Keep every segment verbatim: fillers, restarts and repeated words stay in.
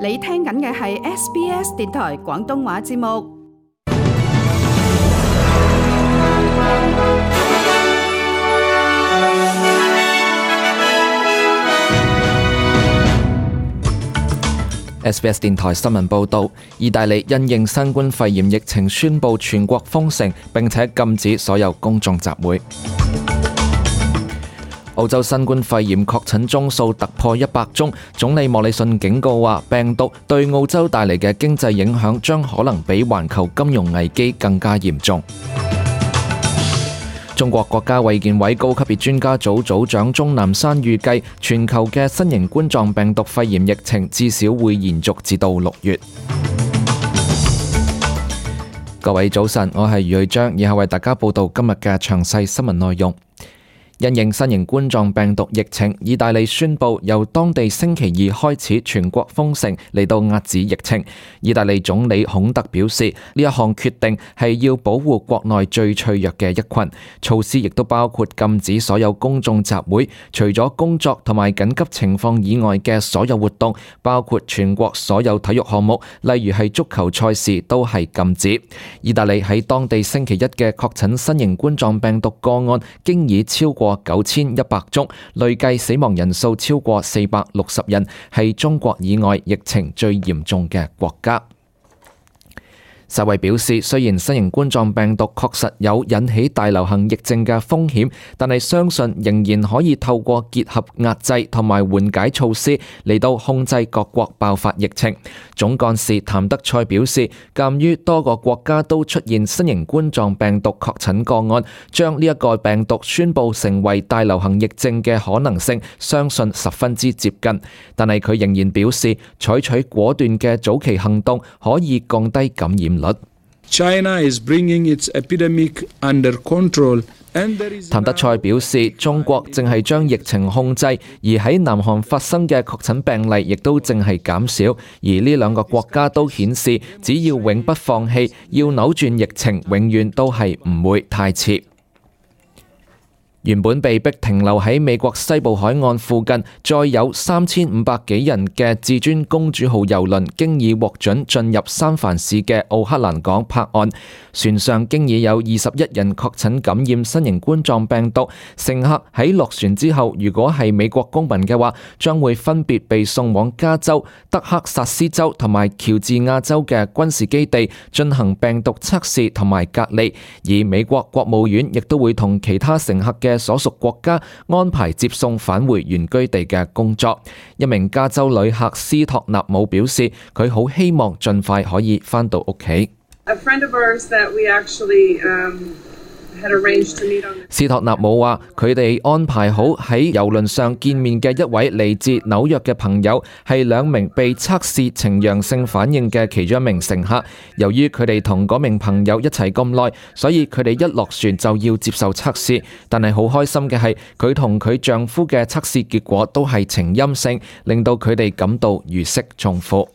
你聽緊嘅係 S B S 電台廣東話節目。S B S 電台新聞報導，意大利因應新冠肺炎疫情宣布全國封城，並且禁止所有公眾集會。澳洲新冠肺炎確診宗數突破一百宗，總理莫里遜警告話，病毒對澳洲帶嚟嘅經濟影響將可能比環球金融危機更加嚴重。中國國家衛健委高級別專家組組長鍾南山預計，全球嘅新型冠狀病毒肺炎疫情至少會延續至到六月。各位早晨，我係余瑞章，以下為大家報道今日嘅詳細新聞內容。因應新型冠狀病毒疫情，意大利宣布由當地星期二開始全國封城，嚟到遏止疫情。意大利總理孔特表示，呢一項決定係要保護國內最脆弱嘅一群。措施亦都包括禁止所有公眾集會，除咗工作同埋緊急情況以外嘅所有活動，包括全國所有體育項目，例如係足球賽事都係禁止。意大利喺當地星期一嘅確診新型冠狀病毒個案，經已超過九千一百宗，累計死亡人數超過四百六十人，係中國以外疫情最嚴重嘅國家。世衛表示，雖然新型冠狀病毒確實有引起大流行疫症嘅風險，但係相信仍然可以透過結合壓制同埋緩解措施嚟到控制各國爆發疫情。總幹事譚德塞表示，鑑於多個國家都出現新型冠狀病毒確診個案，將呢一個病毒宣布成為大流行疫症嘅可能性，相信十分之接近。但係佢仍然表示，採取果斷嘅早期行動可以降低感染率。China is bringing its epidemic under control. 譚德塞表示，中國正係將疫情控制，而喺南韓發生嘅確診病例亦都正係減少，而呢兩個國家都顯示，只要永不放棄，要扭轉疫情，永遠都係唔會太遲。原本被逼停留喺美國西部海岸附近，載有三千五百幾人嘅至尊公主號郵輪，經已獲准進入三藩市嘅奧克蘭港泊岸。船上經已有二十一人確診感染新型冠狀病毒。乘客喺落船之後，如果係美國公民嘅話，將會分別被送往加州、德克薩斯州同埋喬治亞州嘅軍事基地進行病毒測試同埋隔離。而美國國務院亦都會同其他乘客嘅所屬國家安排接送返回原居地嘅工作。一名加州旅客斯托納姆表示，佢好希望盡快可以返到屋企。斯托納姆話，佢哋安排好喺郵輪上見面嘅一位嚟自紐約嘅朋友，係兩名被測試呈陽性反應嘅其中一名乘客。由於佢哋同嗰名朋友一齊咁耐，所以佢哋一落船就要接受測試。但係好開心嘅係，佢同佢丈夫嘅測試結果都係呈陰性，令到佢哋感到如釋重負。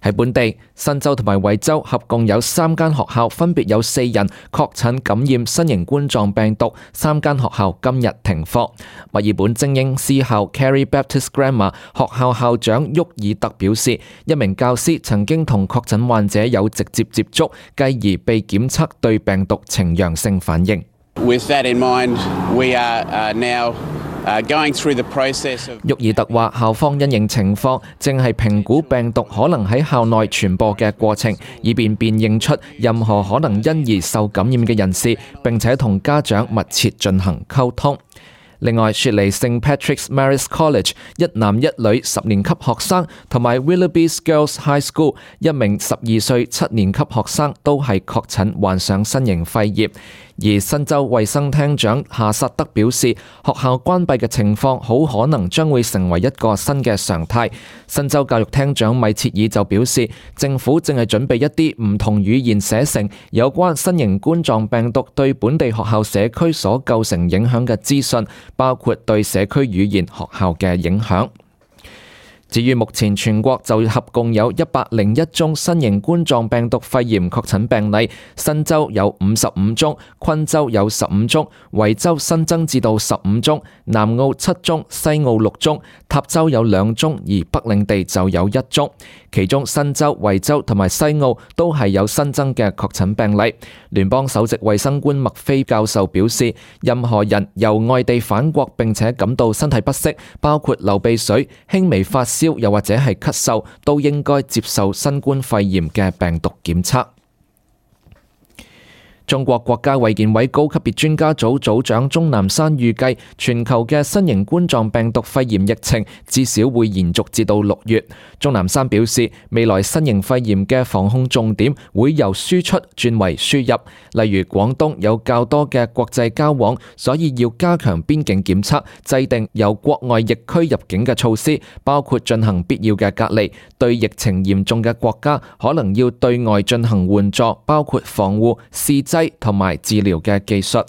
喺本地，新州同埋維州合共有三間學校分別有四人確診感染新型冠狀病毒，三間學校今日停課。墨爾本精英私校 Carey Baptist Grammar 學校校長沃爾特表示，一名教師曾經同確診患者有直接接觸，繼而被檢測對病毒呈陽性反應。With that in mind, we are uh, now going through the process of 沃爾特話，校方因應情況，正係評估病毒可能喺校內傳播嘅過程，以便辨認出任何可能因而受感染嘅人士，並且同家長密切進行溝通。另外，雪梨聖 Patrick's Maris College 一男一女十年級學生同埋 Willoughby's Girls High School 一名十二歲七年級學生都係確診患上新型肺炎。而新州衛生廳長夏薩德表示，學校關閉嘅情況好可能將會成為一個新嘅常態。新州教育廳長米切爾就表示，政府正係準備一啲唔同語言寫成有關新型冠狀病毒對本地學校社區所構成影響嘅資訊，包括對社區語言學校嘅影響。至於目前全國就合共有一百零一宗新型冠狀病毒肺炎確診病例，新州有五十五宗，昆州有十五宗，維州新增至到十五宗，南澳七宗，西澳六宗，塔州有兩宗，而北領地就有一宗。其中新州、維州同埋西澳都係有新增嘅確診病例。聯邦首席衛生官麥菲教授表示，任何人由外地返國並且感到身體不適，包括流鼻水、輕微發燒又或者係咳嗽，都應該接受新冠肺炎嘅病毒檢測。中國國家衛健委高級別專家組組長鍾南山預計，全球嘅新型冠狀病毒肺炎疫情至少會延續至到六月。鍾南山表示，未來新型肺炎嘅防控重點會由輸出轉為輸入，例如廣東有較多嘅國際交往，所以要加強邊境檢測，制定由國外疫區入境嘅措施，包括進行必要嘅隔離。對疫情嚴重嘅國家，可能要對外進行援助，包括防護、試劑同埋治療嘅技術。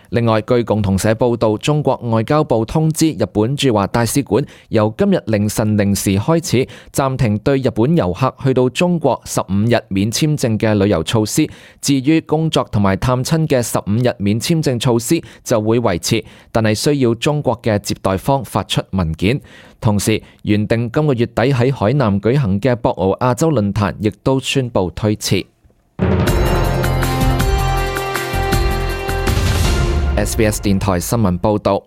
另外，據共同社報道，中國外交部通知日本駐華大使館，由今日凌晨零時開始暫停對日本遊客去到中國十五日免簽證嘅旅遊措施。至於工作同埋探親嘅十五日免簽證措施就會維持，但係需要中國嘅接待方發出文件。同時，原定今個月底喺海南舉行嘅博鰲亞洲論壇亦都宣布推遲。S B S 電台新聞報導，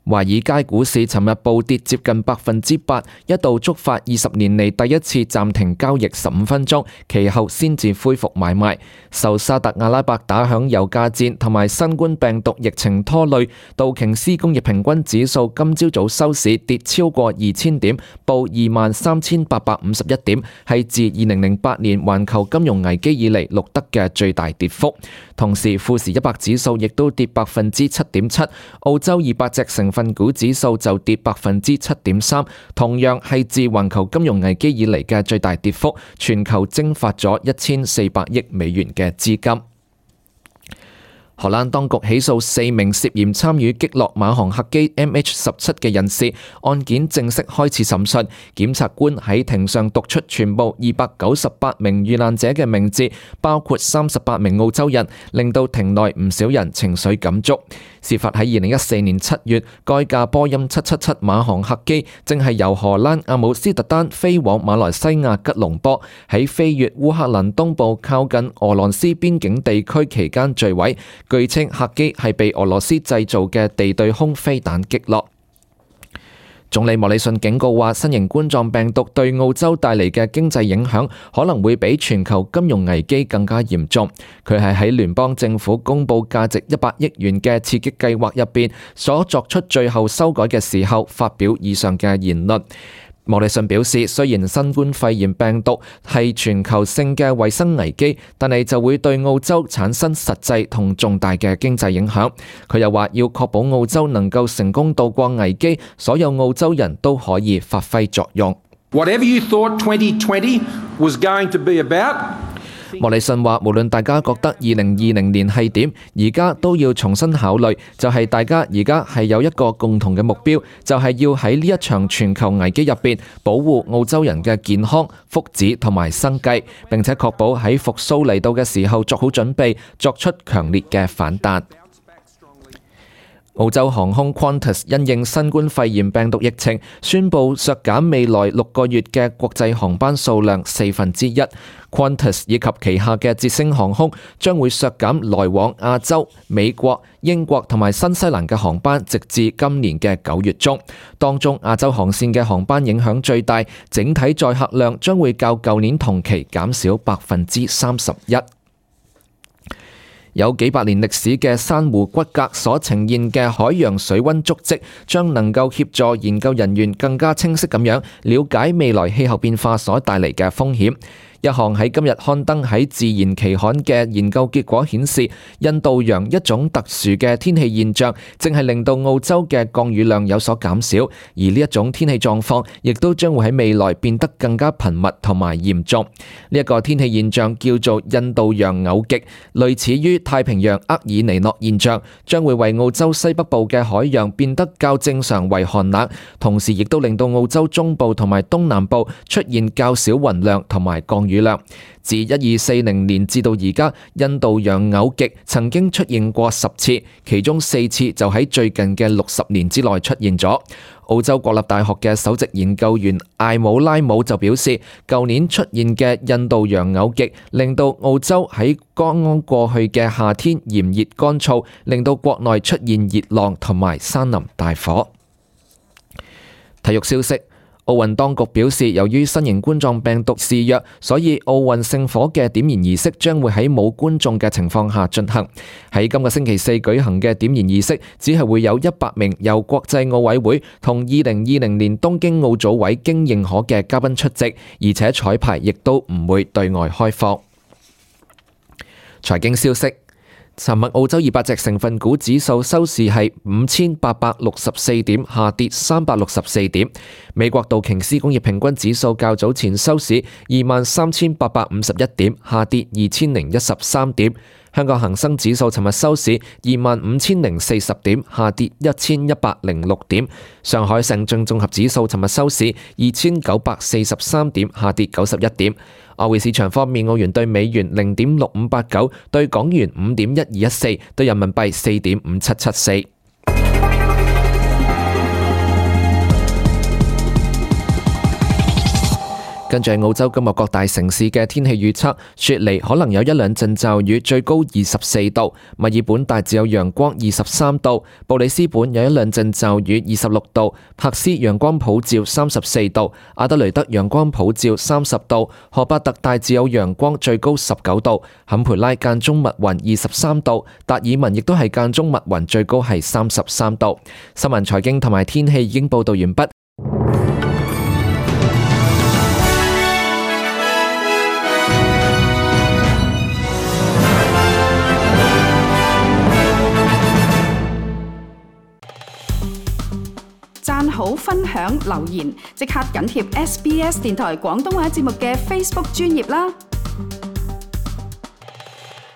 華爾街股市尋日暴跌接近百分之八，一度觸發二十年嚟第一次暫停交易十五分鐘，其後先至恢復買賣。受沙特阿拉伯打響油價戰同埋新冠病毒疫情拖累，道瓊斯工業平均指數今朝早收市跌超過二千點，報二萬三千八百五十一點，係自二零零八年環球金融危機以嚟錄得嘅最大跌幅。同時，富時一百指數亦都跌百分之七點七，澳洲二百隻成分股指數就跌百分之七點三，同樣係自環球金融危機以嚟嘅最大跌幅，全球蒸發咗一千四百億美元嘅資金。荷蘭當局起訴四名涉嫌參與擊落馬航客機 M H 十七嘅人士，案件正式開始審訊。檢察官喺庭上讀出全部二百九十八名遇難者嘅名字，包括三十八名澳洲人，令到庭內唔少人情緒感觸。事發喺二零一四年七月，該架波音七七七馬航客機正係由荷蘭阿姆斯特丹飛往馬來西亞吉隆坡，喺飛越烏克蘭東部靠近俄羅斯邊境地區期間墜毀。據稱客機係被俄羅斯製造嘅地對空飛彈擊落。總理莫里遜警告話，新型冠狀病毒對澳洲帶嚟嘅經濟影響可能會比全球金融危機更加嚴重。佢係喺聯邦政府公布價值一百億元嘅刺激計劃入邊所作出最後修改嘅時候，發表以上嘅言論。莫里遜表示，雖然新冠肺炎病毒係全球性嘅衛生危機，但係就會對澳洲產生實際同重大嘅經濟影響。佢又話要確保澳洲能夠成功渡過危機，所有澳洲人都可以發揮作用。Whatever you thought twenty twenty was going to be about,莫里遜話，無論大家覺得二零二零年係點，而家都要重新考慮，就係大家而家係有一個共同嘅目標，就係要喺呢一場全球危機入邊保護澳洲人嘅健康、福祉同埋生計，並且確保喺復甦嚟到嘅時候作好準備，作出強烈嘅反彈。澳洲航空 Qantas 因應新冠肺炎病毒疫情，宣布削減未來六個月嘅國際航班數量四分之一。Qantas 以及旗下嘅捷星航空將會削減來往亞洲、美國、英國同埋新西蘭嘅航班，直至今年嘅九月中。當中亞洲航線嘅航班影響最大，整體載客量將會較舊年同期減少百分之三十一。有幾百年歷史嘅珊瑚骨骼所呈現嘅海洋水溫足跡，將能夠協助研究人員更加清晰咁樣了解未來氣候變化所帶嚟嘅風險。一項喺今日刊登喺《自然》期刊嘅研究結果顯示，印度洋一種特殊嘅天氣現象，正係令到澳洲嘅降雨量有所減少，而呢一種天氣狀況亦都將會喺未來變得更加頻密同埋嚴重。呢一個天氣現象叫做印度洋偶極，類似於太平洋厄爾尼諾現象，將會為澳洲西北部嘅海洋變得較正常為寒冷，同時亦都令到澳洲中部同埋東南部出現較少雲量同埋降雨量。自一二四零年至到而家，印度洋偶極曾經出現過十次，其中四次就喺最近嘅六十年之內出現咗。澳洲國立大學嘅首席研究員艾姆拉姆就表示，舊年出現嘅印度洋偶極令到澳洲喺剛剛過去嘅夏天炎熱乾燥，令到國內出現熱浪同埋山林大火。體育消息，奧運當局表示，由於新型冠狀病毒肆虐，所以奧運聖火嘅點燃儀式將會喺冇觀眾嘅情況下進行。喺今個星期四舉行嘅點燃儀式，只係會有一百名由國際奧委會同二零二零年東京奧組委經認可嘅嘉賓出席，而且彩排亦都唔會對外開放。財經消息。尋日澳洲二百隻成分股指數收市係五千八百六十四點，下跌三百六十四點。美國道瓊斯工業平均指數較早前收市二萬三千八百五十一點，下跌二千零一十三點。香港恒生指數尋日收市二萬五千零四十點，下跌一千一百零六點。上海上證綜合指數尋日收市二千九百四十三點，下跌九十一點。外匯市場方面，澳元對美元零點六五八九，對港元五點一二一四，對人民幣四點五七七四。跟住澳洲今日各大城市嘅天氣預測，雪梨可能有一兩陣驟雨，最高二十四度；墨爾本大致有陽光，二十三度；布里斯本有一兩陣驟雨，二十六度；珀斯陽光普照，三十四度；阿德雷德陽光普照，三十度；荷伯特大致有陽光，最高十九度；坎培拉間中密雲，二十三度；達爾文亦都係間中密雲，最高係三十三度。新聞、財經同埋天氣已經報道完畢。讚好、分享、留言，即刻緊貼 S B S 電台廣東話節目嘅 Facebook 專頁啦！